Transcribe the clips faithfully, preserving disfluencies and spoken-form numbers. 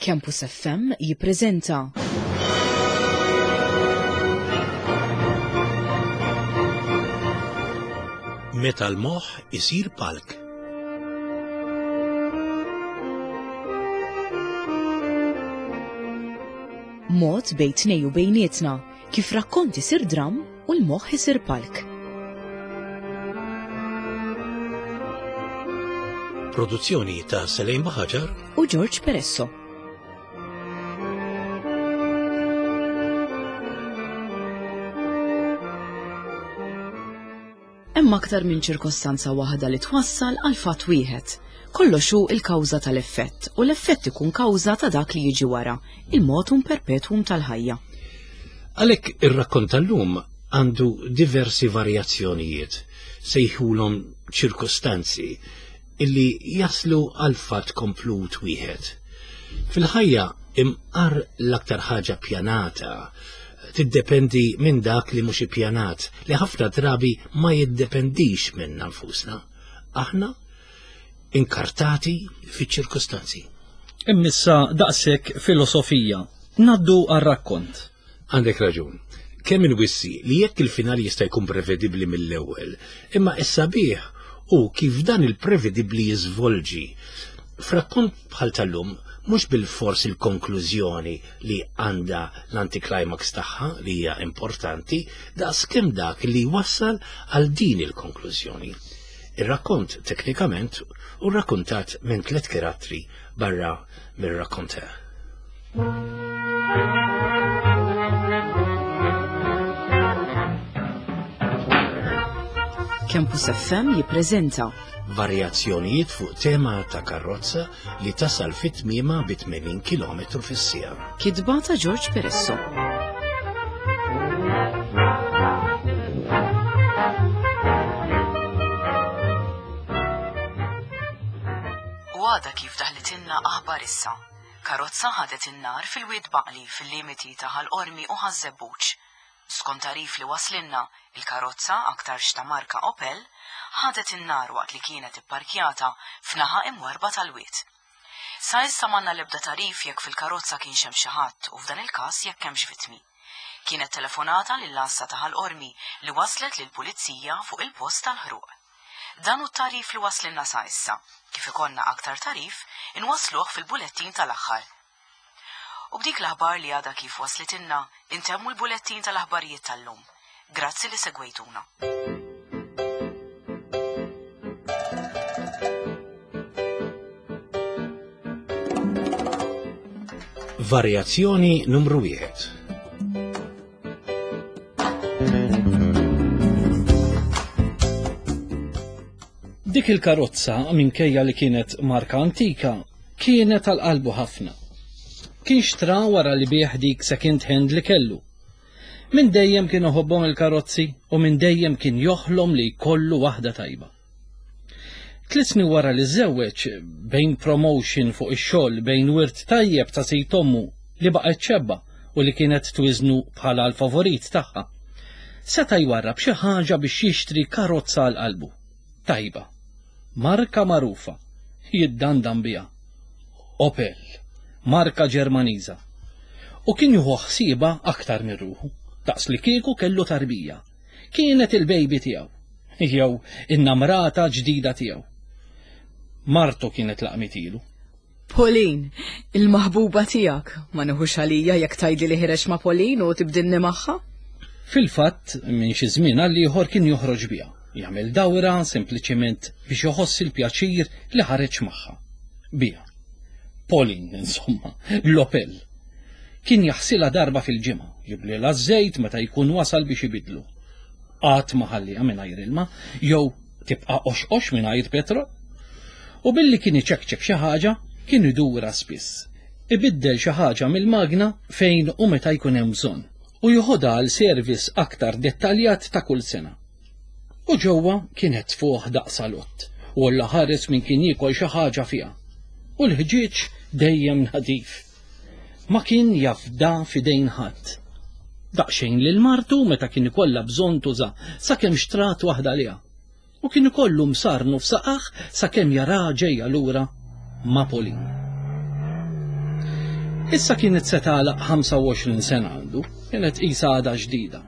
Campus F M jippreżenta Meta l-moħħ isir palk. Mod bejn tnej u bejnietna kif rakkont isir dram u l-moħħ isir palk. Produzzjoni ta' Selejn Baħaġar u George Peresso. Hemm aktar minn ċirkostanza waħda li twassal għal fatt wieħed. Kollox hu l-kawża tal-effett u l-effett ikun kawża ta' dak li jiġi wara, il-motum perpetuum tal-ħajja. Għalhekk ir-rakkont tal-lum għandu diversi varjazzjonijiet, sejħulhom ċirkostanzi illi jaslu għal fatt komplut wieħed. Fil-ħajja imqar l-aktar ħaġa pjanata tiddependi minn dak li mhux ippjanat, li ħafna drabi ma jiddependix minna nfusna. Aħna inkartati fiċ-ċirkostanzi. Immissa daqshekk filosofija. Naddu għar-rakkont. Għandek raġun. Kemm inwissi li jekk il-finali jista' jkun prevedibbli mill-ewwel, imma is-sabiħ u kif dan il-prevedibbli jiżvolġi. F'rakkont bħal tal-lum mhux bil-fors il-konklużjoni li għandha l-anticlimax tagħha li hija importanti, daqs kemm dak li wassal għal din il-konklużjoni. Ir-rakkont teknikament u rrakkontat minn tliet karattri barra mir-rakkonter. Campus F M jippreżenta varjazzjonijiet fuq tema ta' karozza li tasal fit-tmiema bi tmenin kilometru fis-siegħa. Kitba ta' George Peresso. U għada kif daħlitilna aħbar issa. Karozza ħadet in-nar fil-Wied Baqli fil-limiti ta' Ħal Qormi u Ħaż-Żebbuġ. Skont tarif li waslinna, il-karozza aktarx ta' marka Opel ħadet in-nar waqt li kienet ipparkjata f'naħa imwarba tal-wied. Sa issa m'għandna l-ebda tarif jekk fil-karozza kienx hemm xi ħadd u f'dan il-każ jekk hemmx vittmi. Kienet telefonata lill-għassa ta' Ħal Qormi li waslet lill-pulizija fuq il-post tal-ħruq. Dan hu t-tarif li waslinna sa issa. Kif ikollna aktar tarif, inwasluh fil-bulettin tal-aħħar. U b'dik l-aħbar li għadha kif waslitilna, intemmu l-bulettin tal-aħbarijiet tal-lum. Grazzi li segwejtuna. Varjazzjoni numru wieħed. Dik il-karozza, minkejja li kienet marka antika, kienet għal qalbu ħafna. Kien xtra wara li bieħ dik second hand li kellu. Minn dejjem kien iħobbhom il-karozzi u minn dejjem kien joħlom li jkollu waħda tajba. Tliet snin wara li żewweġ, bejn promotion fuq ix-xogħol, bejn wirt tajjeb ta' sid ommu li baqgħet xebba u li kienet twiżnu bħala l-favorit tagħha, seta' jwarrab xi ħaġa biex jixtri karozza għal qalbu. Tajba, marka magħrufa, jiddandan biha. Opel, marka Ġermaniża. U kien jieħu ħsiebha aktar minn ruħu, daqs li kieku kellu tarbija. Kienet il-baby tiegħu, jew in-namrata ġdida tiegħu. Martu kienet laqmitilu. Pauline, il-maħbuba tiegħek, ma nieħux għalija jekk tgħidli li ħireġ ma' Pauline u tibdilni magħha? Fil-fatt, minn xi żmien għal ieħor kien joħroġ biha, jagħmel dawra sempliċement biex iħoss il-pjaċir li ħareġ magħha. Biha. Pauline, insomma, l-Opel. Kien jaħsilha darba fil-ġimgħa, jiblilha ż-żejt meta jkun wasal biex ibidlu. Qatt ma ħalliha mingħajr ilma, jew tibqa' qoxqox mingħajr petrol. U billi kien iċekċek xi ħaġa, kien idura spiss. Ibiddel xi ħaġa mill-magna fejn u meta jkun hemm bżonn, u joħodha għal service aktar dettaljat ta' kull sena. U ġewwa kienet fuq daqs salott, u alla ħares min kien jiekol xi ħaġa fiha. U l-ħġieġ dejjem nadif. Ma kien jafda f'idejn ħadd. Daqsxejn lil martu meta kien ikollha bżonn tuża, sakemm xtrat waħda liha. U kien ikollu msarnu f'saqaħ sakemm jara ġejja lura ma' Pauline. Issa kienet se tagħlaq ħamsa u għoxrin sena għandu, kienet qisha għadha ġdida.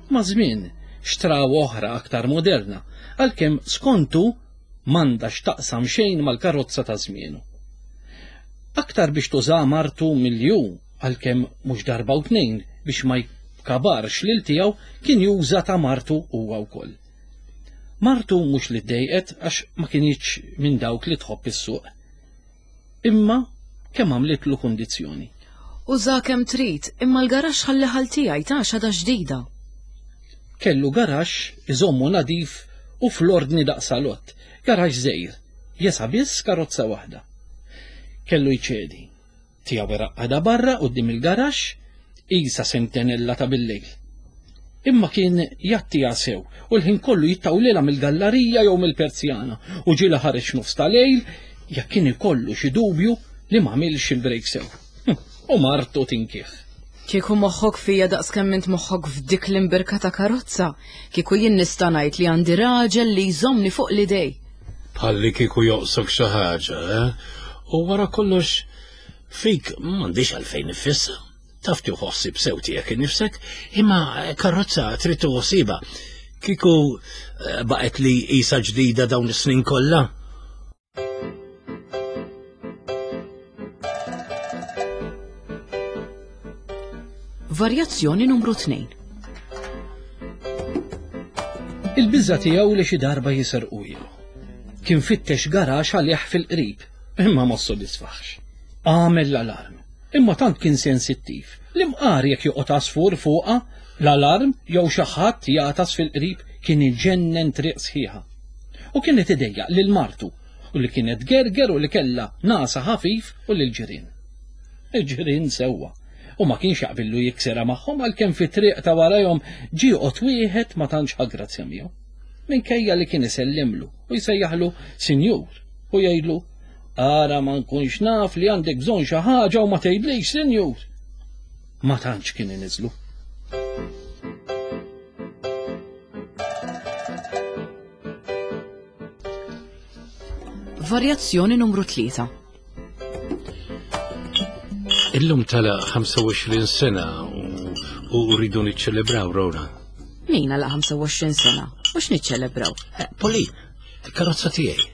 Ma' żmien xtraw oħra aktar moderna, għalkemm skontu m'għandha x'taqsam xejn mal-karozza ta' żmienu. Aktar biex tuża martu milju, għalkemm mhux darba u tnejn biex ma jkabarx lil tiegħu kien juża ta' martu huwa wkoll. Martu mhux li ddejqet għax ma kinitx minn dawk li tħobb is-suq. Imma kemm għamlitlu kundizzjoni. Uża kemm trid, imma l-garaxx ħalli ħal tiegħi ta' xada ġdida. Kellu garaxx iżommu nadif u fl-ordni daqsalott, garaxx żgħir, jesa biss karozza waħda. Kellu jċedi. Tiegħu iraqqada barra quddiem il-garaxx, qisha sentinella ta' bil-lejl. Imma kien jattiha sew u l-ħin kollu jittawlilha mill-gallarija jew mill-perzjana u ġiela ħareġ nofs ta' lejl jekk kien ikollu xi dubju li m'għamilx il-brejk sew. U martu tinkih. Kieku moħħok fija daqs kemm int moħħok f'dik l-imbirka ta' karozza, kieku jien nista' ngħid li għandi raġel li jżommni fuq l-idej. Bħalli kieku joqsok xi ħaġa, eh? U wara kollox fik m'għandix għalfejn nifissa. Taf tieħu ħsieb sew tiegħek innifsek, imma karozza trid tieħu ħsiebha. Kieku baqgħet li qisha ġdida dawn is-snin kollha. Varjazzjoni numru tnejn. Il-biża tiegħu li xi darba jisirqu ilu. Kien fittex garax għalih fil-qrib, imma ma ssodisfax. Għamel l-alarm, imma tant kien sensittiv li mqar jekk joqgħod għasfur fuqha l-alarm jew xi ħadd jagħtas fil-qrib kien iġennen triq sħiħa. U kienet idejjaq lil martu u li kienet gerger u li kellha nasa ħafif u lil ġirien. Il-ġirien sewwa u ma kienx jaqbillu jiksera magħhom għalkemm fit-triq ta' warajhom ġie joqgħod wieħed ma tantx ħa grazzja miegħu. Minkejja li kien isellimlu u jsejjaħlu sinjur u jgħidlu ara ma nkunx naf li għandek bżonn xi ħaġa u ma tgħidlix sinjur. Ma tantx kien iniżlu. Varjazzjoni numru tlieta. Illum tala ħamsa u għoxrin sena u rridu niċċelebraw, Rona. Min għala ħamsa u għoxrin sena? U x'niċċelebraw? Poli, il-karozza tiegħi.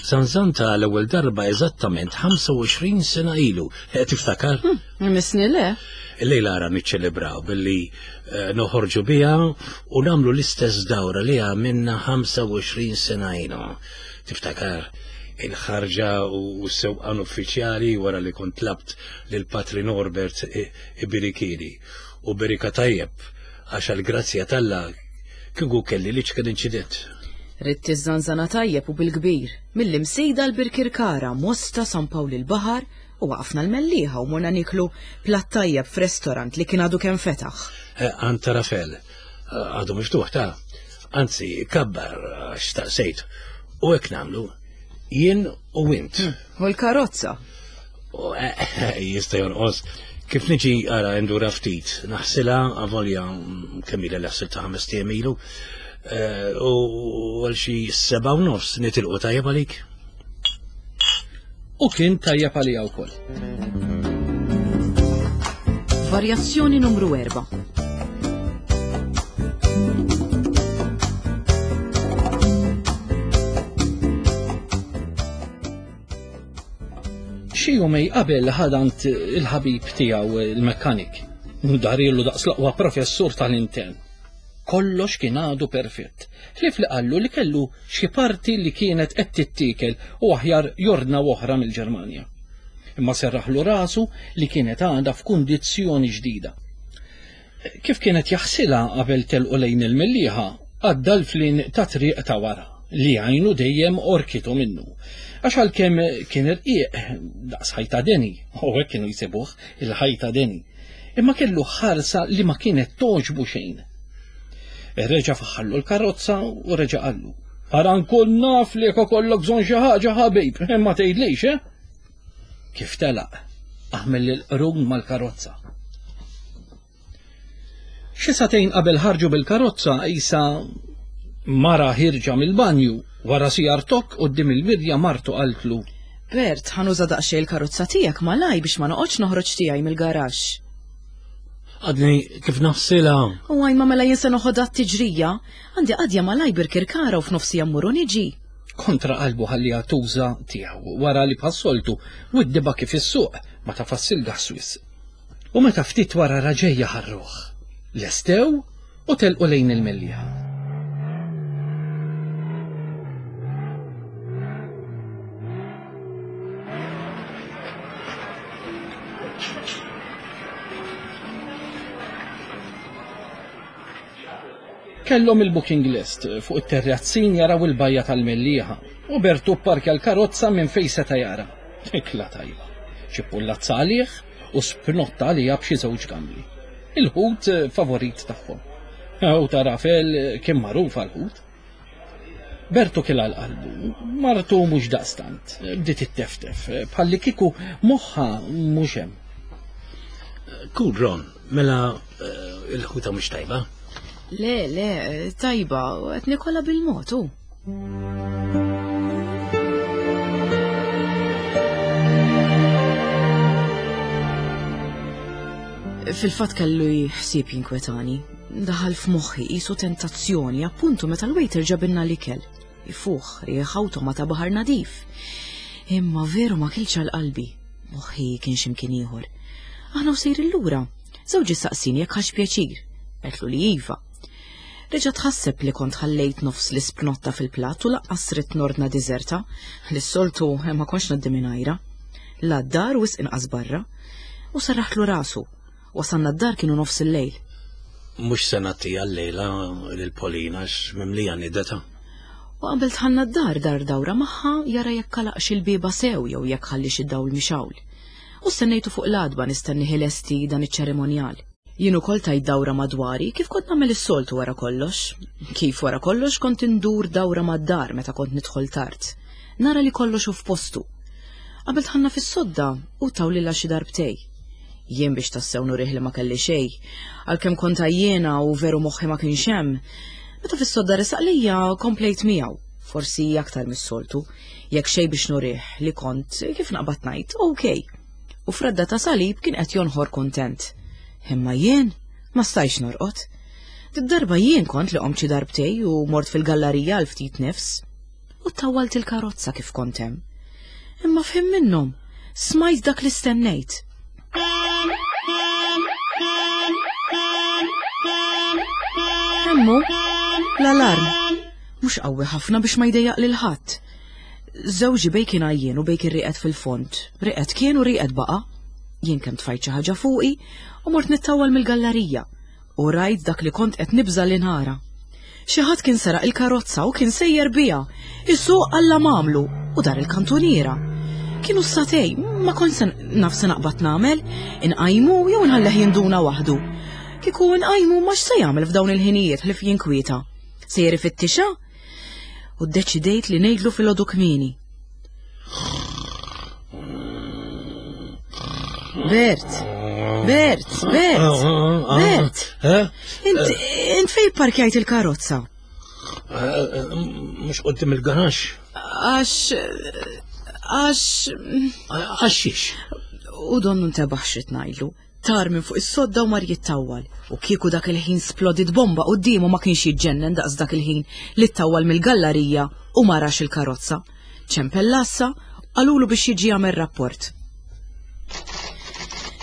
Zanzanta l-ewwel darba eżattament ħamsa u għoxrin sena ilu. Tiftakar? Misni le. Illejla ara niċċelebraw billi noħorġu biha u nagħmlu l-istess dawra li għamilna ħamsa u għoxrin sena ilu. Tiftakar il-ħarġa u s-sewqan uffiċjali wara li kont tlabt lil Patri Norbert Ibirikili. U berika tajjeb għax għall-grazzja t'Alla kieku kelli li ċken inċident. Ridt iż-żanżana tajjeb u bil-kbir, mill-Imsida l-Birkirkara, Mosta, San Pawl il-Baħar u waqafna l-Mellieħa u morna niklu platt tajjeb f'restorant li kien għadu kemm fetaħ. Anta Rafel, għadu miftuħ ta' anzi kabbar għax taqsejt. U hekk nagħmlu jien u int. U l-karozza? Jista' jonqos. Kif niġi ara ndura ftit, naħsilha avolja kemm ilha li ħsiltha ħames tiem ilu. U għal xi seba' u nofs nitilqu tajjeb għalik. U kien tajjeb għalija wkoll. Varjazzjoni numru erba'. Xi jumej qabel ħadant il-ħabib tiegħu il-mekkanik. Darilu daqs l-aqwa professur tal-intern. Kollox kien għadu perfett. Ħlief li qallu li kellu xi parti li kienet qed tittiekel u aħjar jordna oħra mill-Ġermanja. Imma serraħlu rasu li kienet għadha f'kundizzjoni ġdida. Kif kienet jaħsilha qabel telqu lejn il-Mellieħa, għadda l-flin ta' triq ta' wara li għajnu dejjem orkitu minnu. Għax għalkemm kien irqiq daqs ħajta deni, u hekk kienu jsibuh il-ħajta deni, imma kellu ħarsa li ma kienet toġbu xejn. Reġa' faħħallu l-karozza u reġa' qallu, ara nkun naf li jekk ikollok bżonn xi ħaġa ħabib, imma tgħidlix, eh? Kif telaq, għamel il-qrun mal-karozza. Xi sagħtejn qabel ħarġu bil-karozza qisha mara ħirġa mill-banju, wara sijar tokk quddiem il-mirja martu qaltlu. Bert, ħa nuża daqsxejn il-karozza tiegħek malaj biex ma noqgħodx noħroġ tiegħi mill-garaxx. Għadni kif naħsilha. U għaj ma mela jien se noħodha t-tiġrija. Għandi qadja malaj Birkirkara u f'nofsi mmur u niġi. Kontra qalbu ħalliha tuża tiegħu wara li bħas-soltu widdiba kif is-suq ma tafassil gas wisq. U meta ftit wara raġejja ħarruh. Lestew u telqu lejn il-Mellieħa. Kellhom il-booking list fuq it-terrazzin jaraw il-bajja tal-Mellieħa u Bertu pparkja l-karozza minn fejn seta' jara. Ikla tajba. Ċipullazza għalih u spnotta għaliha b'xi żewġ gambli. Il-ħut favorit tagħhom. U ta' Rafel kien magħruf għall-ħut. Bertu kien għal qalbu, martu mhux daqstant, bdiet itteftef, bħalli kieku moħħha mhux hemm. Cool, Ron, mela eh, il-ħuta mhux tajba. Le, le, tajba, qed nikola bil-mod hu. Fil-fatt kellu ħsieb jinkwetani. Daħal f'moħħi qisu tentazzjoni appuntu meta l-waiter ġabilna l-ikel. Ifuħ, riħa u togħma ta' baħar nadif. Imma veru ma kilx għal qalbi. Moħħi kien x'imkien ieħor. Aħna u sejrin lura. Żewġi saqsini jekk ħax pjaċir. Għedtlu li iva. Reġa' tħasseb li kont ħallejt nofs l-ispnotta fil-platt u laqqas ridt nordna diżerta, li s-soltu ma kontx ngħaddi mingħajra. La d-dar u wisq inqas barra. U serraħtlu rasu. Wasalna d-dar kienu nofs il-lejl. Mhux se nagħtiha llejla lil Polina għax mimlija nideta. U qabel dħalna d-dar dar dawra magħha jara jekk għalaqx il-bieba sew jew jekk ħallix id-dawl mixgħul. U stennejtu fuq l-għatba nistenni ħilesti dan iċ-ċerimonjal. Jien ukoll tajt dawra madwari kif kont nagħmel is-soltu wara kollox. Kif wara kollox kont indur dawra mad-dar meta kont nidħol tard. Nara li kollox hu f'postu. Qabel dħalna fis-sodda u tawlilha xi darbtej. Jien biex tassew nurih li ma kelli xejn, għalkemm kont għajjiena u veru moħħi ma kienx hemm. Meta fis-sodda resaq lejja komplejt miegħu, forsi aktar mis-soltu, jekk xejn biex nurih li kont kif naqbad ngħid, okej. U fradda ta' salib kien qed jonħor kuntent. Imma jien ma stajx norqod. Did-darba jien kont li qomt xi darbtej u mort fil-gallarija għal ftit nifs. U tawwalt il-karozza kif kont hemm. Imma f'ħin minnhom, smajt dak li stennejt. Hemmu, l-alarm. Mhux qawwi ħafna biex ma jdejjaq lil ħadd. Żewġi bej kien għajjien u bej kien rieqed fil-fond. Rieqed kien u rieqed baqa'. Jien kemm tfajt xi ħaġa fuqi u mort nittawwal mill-gallarija u rajt dak li kont qed nibża' li nara. Xi ħadd kien seraq il-karozza u kien sejjer biha. Isuq alla m'għamlu u dar il-kantuniera. Kienu s-satej, ma kont se naf se naqbad nagħmel, inqajmu jew inħalleh jinduna waħdu. Kieku nqajmu ma x'se jagħmel f'dawn il-ħinijiet ħlief jinkwieta. Sejjer ifittixha? U ddeċidejt li ngħidlu filgħodu kmieni. Bert, Bert, Bert, Bert. Int, int fejn parkjajt il-karozza? Mhux quddiem il-garaxx. Għax, għax. Għax xiex? U donnu ntebaħ x'rid ngħidlu. Tar minn fuq is-sodda u mar jittawwal. U kieku dak il-ħin splodit bomba quddiemu ma kienx jiġġennen daqs dak il-ħin li ttawwal mill-gallarija u ma rax il-karozza. Ċempel l-għassa, qalulu biex jiġi jagħmel rapport.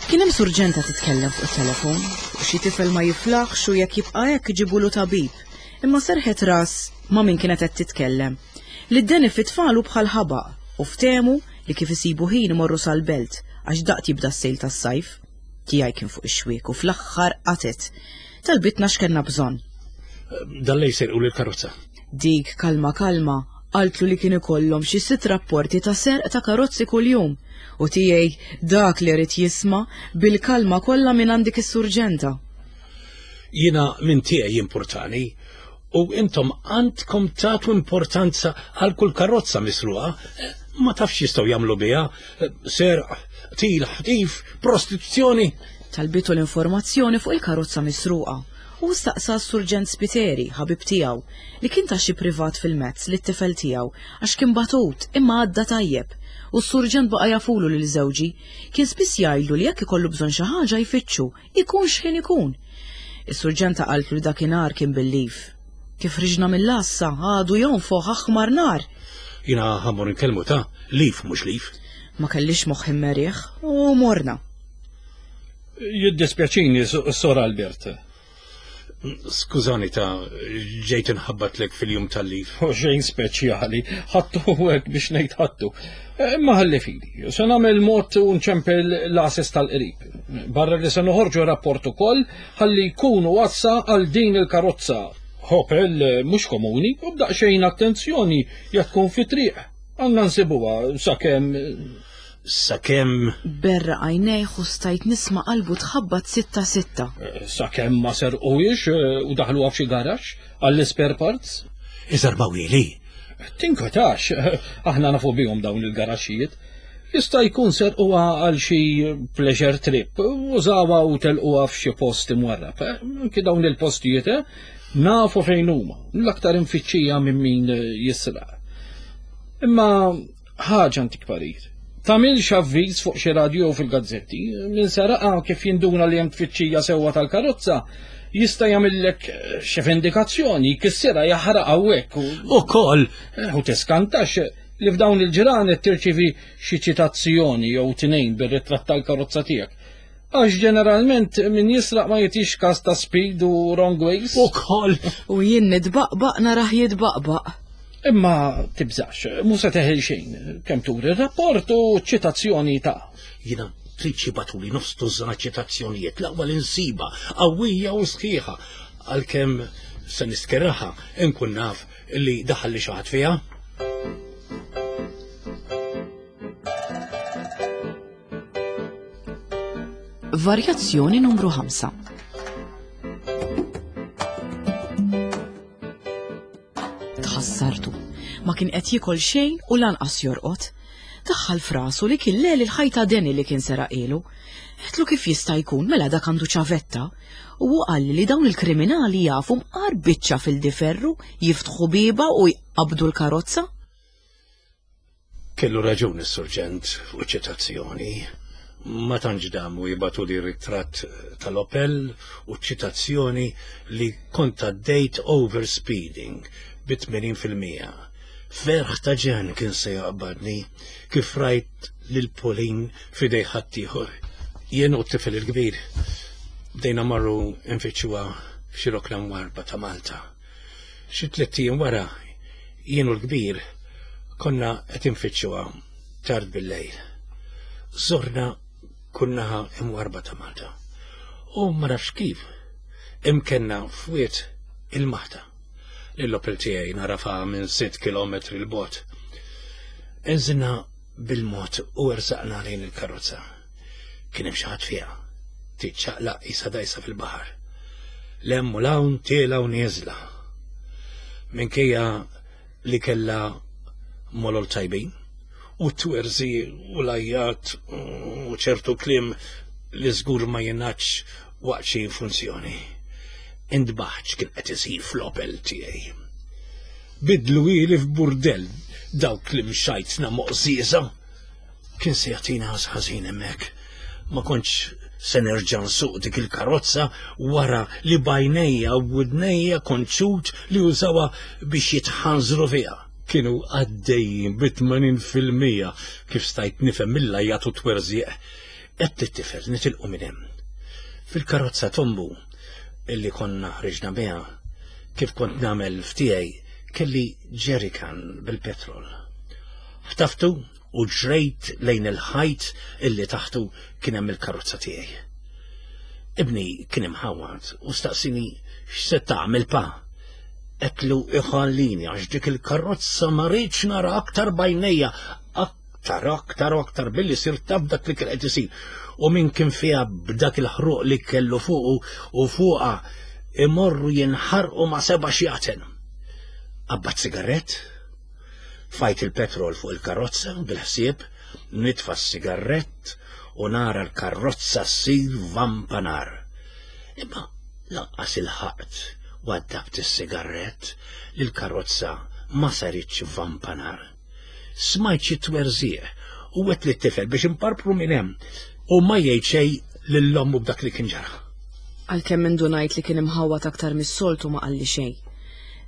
Kien hemm surġenta titkellem fuq it-telefon, u xi tifel ma jiflaħx u jekk jibqa' hekk iġibulu tabib. Imma serħet ras ma' min kienet qed titkellem. Li d-deni fit-tfal hu bħal ħabaq u ftehmu li kif isibu ħin imorru sal-belt għax daqt jibda s-sejl tas-sajf. Tiegħi kien fuq ix-xwiek u fl-aħħar qatet. Talbitna x'kellna bżonn. Dan lej serqu lill-karozza. Dik kalma kalma qaltlu li kien ikollhom xi sitt rapporti ta' serq ta' karozzi kuljum. U tiegħi dak li rid jisma' bil-kalma kollha minn għand dik is-surġenta. Jiena minn tiegħi jimpurtani u intom għandkom tagħtu importanza għal kull karozza misruqa. Ma tafx jistgħu jagħmlu biha serq, qtil, ħtif, prostituzzjoni. Talbitu l-informazzjoni fuq il-karozza misruqa u staqsa s-surġent Spiteri, ħabib tiegħu, li kien ta' xi privat fil-mezz li t-tifel tiegħu għax kien batut imma għadda tajjeb U s-surġent baqa' jafulu lil żewġi. Kien spiss jgħidlu li jekk ikollu bżonn xi ħaġa jfittxu, ikun x'ħin ikun. Is-surġenta qaltlu li dakinhar kien bil-leave. Kif ħriġna mill-għassa, għadu jonfoħ aħmar nar. Jiena ħa mmur inkellmu ta' leave mhux leave. Ma kellix moħħ immerih u morna. Jiddispjaċini, Sor Albert. Skużani ta' ġejt inħabbatlek fil-jum tal-leave. U xejn speċjali, ħattu hekk biex ngħid ħattu. Imma ħalli fidi, se nagħmel mod u nċempel l-għases tal-qrib. Barra li se noħorġu rapport ukoll ħalli jkunu għassa għal din il-karozza. Opel mhux komuni u b'daqsxejn attenzjoni jekk tkun fi triq. Għandna nsibuha sakemm Sakemm Berraq għajnejh u stajt nisma' qalbu tħabbat sitta sitta. Sakemm ma serquhiex u daħluha f'xi garaxx għall-spare parts. Iżarbawili. Tinkwetax, aħna nafu bihom dawn il-garaxxijiet. Jista' jkun serquha għal xi pleasure trip, użawha u telquha f'xi post imwarrab. Anki dawn il-postijiet eh, nafu fejn huma, l-aktar imfittxija minn min jisraq. Imma ħaġa ntik parir. Tagħmilx avviż fuq xi radio fil-gazzetti, min saraqa kif jinduna li hemm tfittxija sewwa tal-karozza, jista' jagħmillek xi vendikazzjoni, jkissirha jaħraq hawnhekk u Ukoll u tiskantax li f'dawn il-ġranet tirċivi xi ċitazzjoni jew tnejn bir-ritratt tal-karozza tiegħek. Għax ġeneralment min jisraq ma jagħtix kas ta' speed u wrong ways. Ukoll U jien nitbaqbaq narah jitbaqbaq. Imma tibżax, mhu se teħel xejn, kemm turi r-rapport u ċitazzjoni ta' Jiena trid jibagħtuli nofs tużżana ċitazzjonijiet l-aqwa l-insiba qawwija u sħiħa għalkemm se niskerraħa inkun naf li daħal li xi ħadd fiha. Varjazzjoni numru ħamsa. Tħassartu. Ma kien qed jiekol xejn u lanqas jorqod. Daħħal f'rasu li kien lel il-ħajta deni li kien seraqilu. Għedtlu kif jista' jkun mela dak għandu ċavetta. U hu qalli li dawn il-kriminali jafu mqar biċċa fil-diferru, jiftħu bieba u jqabdu l-karozza. Kellu raġun is-surġent fuq ċitazzjoni. Ma tantx damu jibagħtu li ritratt tal-Opel u ċitazzjoni li kont għaddejt overspeeding bi tmenin fil-mija. Ferħ ta' ġen kien se jaqbadni kif rajt lil Pauline f'idej ħaddieħor. Jien u t-tifel il-kbir bdejna marru nfittxuha f'xi rokna mwarba ta' Malta. Xi tliet ijiem wara jien u l-kbir konna qed infittxuha tard bil-lejl. Żorna kull naħa imwarba ta' Malta. U ma nafx kif imkenna fwiet il-Maħta. L-Opel tiegħi narafa minn sitt kilometri l bogħod. Inżilna bil-mod u ersaqna lejn il-karozza. Kien hemm xi ħadd fiha, tiċċaqlaq qisha dajsa fil-baħar. Lemm u l-hawn tiela u nieżla. Minkejja li kellha molol tajbin u twerzi u lajjat u ċertu kliem li żgur ma jingħadx waqt xi funzjoni. Indbaħt x'kien qed isir fl-Opel tiegħi. Bidlu ili f'burdell dawk li mxajtna moqżieża. Kien se jagħtina ħażin hemmhekk. Ma kontx se nerġa' nsuq dik il-karozza wara li bajnejja u widnejja konċut li użawha biex jitħanżru fiha. Kienu għaddejjin bi tmenin fil-mija kif stajt nifhem mill-lajjat u twerżieq. Qed tittifel nitilqu minn hemm. Fil-karozza tombu illi konna ħriġna biha, kif kont nagħmel f'tiegħi, kelli jerrycan bil-petrol. Ħtaftu u ġrejt lejn il-ħajt illi taħtu kien hemm il-karozza tiegħi. Ibni kien imħawwad u staqsini x'se tagħmel pa. Qedtlu iħallini għax dik il-karozza ma rridx nara aktar bajnejja, aktar, aktar u aktar billi sirt taf dak li kien qed isir. U min kien fiha b'dak il-ħruq li kellu fuqu u fuqha imorru jinħarqu ma' seba' xjaten. Qabbat sigarett, tfajt il-petrol fuq il-karozza bil-ħsieb, nitfa' s-sigarett u nara l-karozza ssir vampanar. Imma lanqas il-ħaqt waddabt is-sigarett li l-karozza ma saritx vampanar. Smajt xi twerżieq U għedt lit-tifel biex imparpru minn hemm u ma jgħid xejn lil ommu b'dak li kien ġara. Għalkemm indunajt li kien imħawwad aktar mis-soltu ma qalli xejn.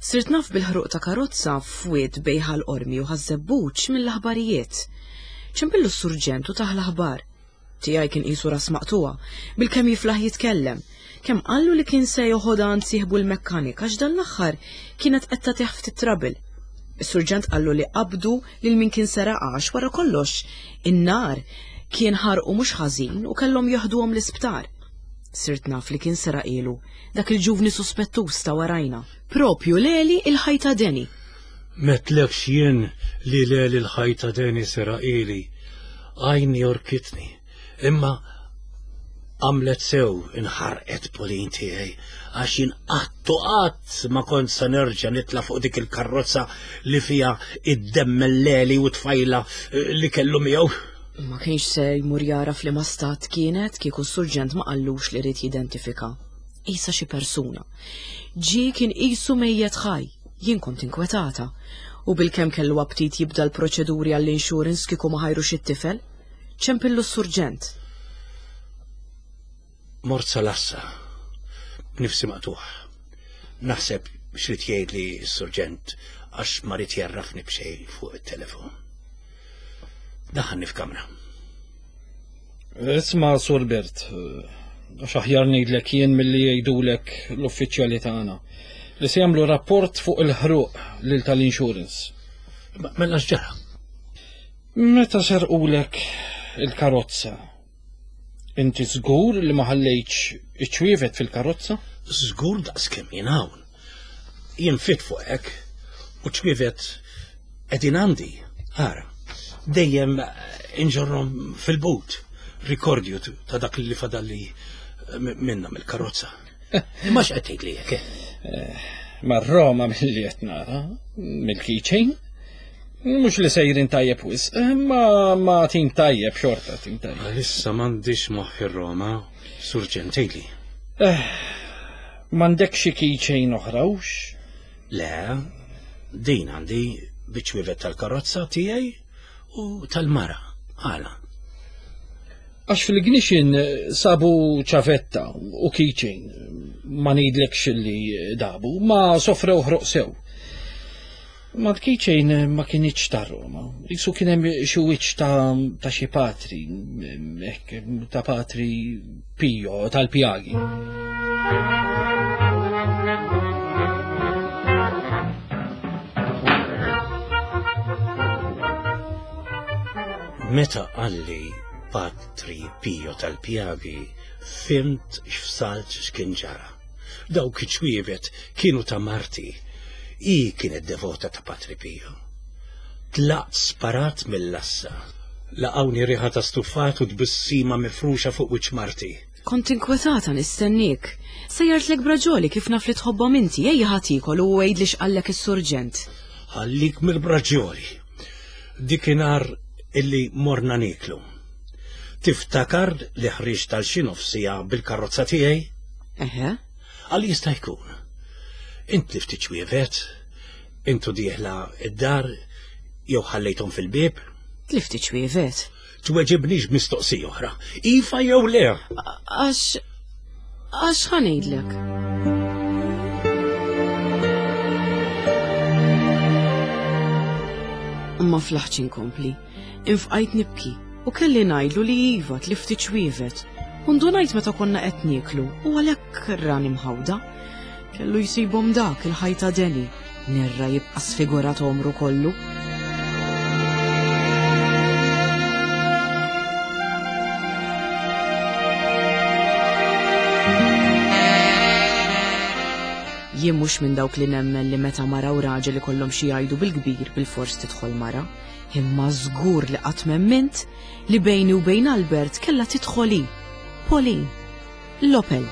Sirt naf bil-ħruq ta' karozza f'wied bejn Ħal Qormi u Ħaż-Żebbuġ mill-aħbarijiet. Ċempillu s-surġent u tah l-aħbar. Tiegħi kien qisu ras maqtugħa, bilkemm jiflaħ jitkellem. Kemm qallu li kien se joħodha għand sieħbu l-mekkanik għax dan l-aħħar kienet qed tagħtih ftit trouble. Is-surġent qallu li qabdu lil min kien seraqha għax wara kollox in-nar kien ħarqu mhux ħażin u kellhom jaħduhom l-isptar. Sirt naf li kien seraqilu dak il-ġuvni suspettuż ta' warajna. Propju Leli il-ħajta Deni. Metlekx jien li Leli l-ħajta Deni seraqili. Għajni orkitni. Imma għamlet sew inħarqet Pauline tiegħi għax jien qatt u qatt ma kont se nerġa' nitla' fuq dik il-karrozza li fiha id-demm Leli u tfajla li kellu miegħu. Ma kienx se jmur jara f'liema stat kienet kieku s-surġent ma qallux li ried jidentifika. Isa xi persuna. Ġie kien qisu mejjet ħaj, jien kont inkwetata. U bilkemm kellu aptit jibda l-proċeduri għall-insurance kieku ma ħajrux it-tifel. Ċempillu s-surġent. Mort sal-għassa, b'nifsi maqtugħ. Naħseb x'rid jgħidli s-surġent għax ma ried jgħarrafni b'xejn fuq it-telefon. Daħalni f'kamra. Isma' Sur Bert, għax aħjar ngħidlek jien milli jgħidulek l-uffiċjali tagħna li se jagħmlu rapport fuq il-ħruq lil tal-insurance. Mela x'ġara? Meta serqulek il-karozza, inti żgur li ma ħallejtx iċ-ċwievet fil-karozza? Żgur daqs kemm jien hawn. Jien fit fuq hekk u ċwievet qegħdin għandi. Ara, dejjem inġorrhom fil-but, rikordju ta' dak li fadalli minna mill-karozza. Imma x'qed tgħidli hekk? Eh, Mar-Roma milli qed nara, mill-keychain. Mhux li sejrin tajjeb wisq, ma ma tim tajjeb xorta tim tajjeb. Għalissa m'għandix moħħ ir-Roma, surġent tgħidli. Eh, m'għandek xi keychain oħra hux? Le, din għandi biċ-ċwievet tal-karozza tiegħi u tal-mara. Għala. Għax fil-ignition sabu ċavetta u keychain, ma ngħidlekx li dabu, ma sofrew ħroq sew. Ma l-keychain ma kinitx ta' Roma, jisu kien hemm xi wiċċ ta', ta' xi patri, hekk, ta' patri Pio tal-Pjagi. Meta qalli Patri Pio tal-Pjagi, fimt x'fsalt x'kien ġara. Dawk iċ-ċwievet kienu ta' marti. Hi kienet devota ta' Patri Pio. Tlaqt sparat mill-lassa. Laqawni riħa ta' stufat u tbissima mifruxa fuq wiċċ marti. Kont inkwetata nistennik. Sejjartlek braġoli kif naf li tħobbhom inti, ejja ħa tiekol u għidli x'qallek is-surġent. Ħallik mill-braġoli. Dikinhar illi morna niklu. Tiftakar li ħriġt tal xi nofsija bil-karozza tiegħi? Eħe. Għal jista' jkun. Int li ftit ċwievet, intu dieħla id-dar, jew ħallejthom fil-bieb? Tlift ċwievet. Tweġibnix mistoqsija oħra. Iva jew le? Għax għax ħa ngħidlek. Ma flaħtx inkompli. Infqajt nibki u kelli ngħidlu li iva tlift ċwievet. U ndunajt meta konna qed nieklu u għalhekk rani mħawda. Kellu jsibhom dak il-ħajta Deni, nerra jibqa' sfigurat omru kollu. Jien mhux minn dawk li nemmen li meta mara u raġel ikollhom xi jgħidu bil-kbir bil-fors tidħol mara, imma żgur li qatt m'emmint li bejni u bejn Albert kellha tidħol hi, Pauline, l-Opel.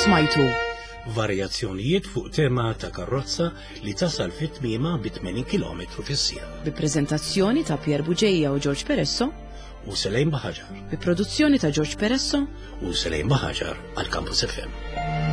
Smajtu Varjazzjonijiet fuq tema ta' karozza li tasal fit-tmiema bi tmenin kilometru fis-siegħa. Bi prezentazzjoni ta' Pier Bugeja u George Peresso u Selejn Baħaġar. Bi produzzjoni ta' George Peresso u Selejn Baħaġar għal Campus F M.